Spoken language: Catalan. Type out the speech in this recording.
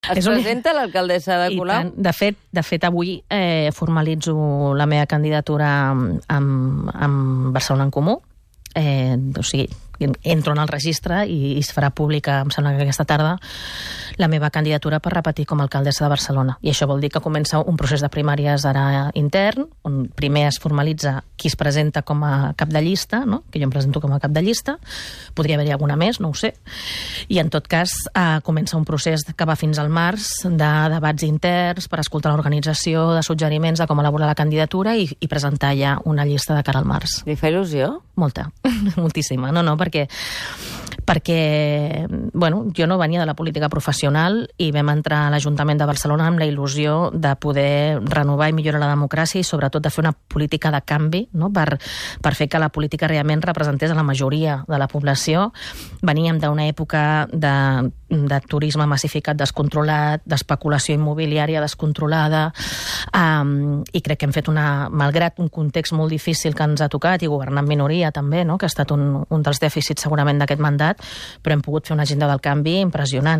Es presenta l'alcaldessa de Colau? De fet, avui formalitzo la meva candidatura amb Barcelona en Comú. O sigui, entro en el registre i es farà pública, em sembla que aquesta tarda, la meva candidatura per repetir com a alcaldessa de Barcelona. I això vol dir que comença un procés de primàries ara intern, on primer es formalitza qui es presenta com a cap de llista, no? Que jo em presento com a cap de llista, podria haver-hi alguna més, no ho sé, i en tot cas comença un procés que va fins al març de debats interns per escoltar l'organització, de suggeriments de com elaborar la candidatura i presentar ja una llista de cara al març. Li fa il·lusió? Molta, moltíssima. No, perquè bueno, jo no venia de la política professional i vam entrar a l'Ajuntament de Barcelona amb la il·lusió de poder renovar i millorar la democràcia i sobretot de fer una política de canvi, no? per fer que la política realment representés a la majoria de la població. Veníem d'una època de turisme massificat descontrolat, d'especulació immobiliària descontrolada, i crec que hem fet malgrat un context molt difícil que ens ha tocat, i governar en minoria també, no? Que ha estat un dels dèficits segurament d'aquest mandat, però hem pogut fer una agenda del canvi impressionant.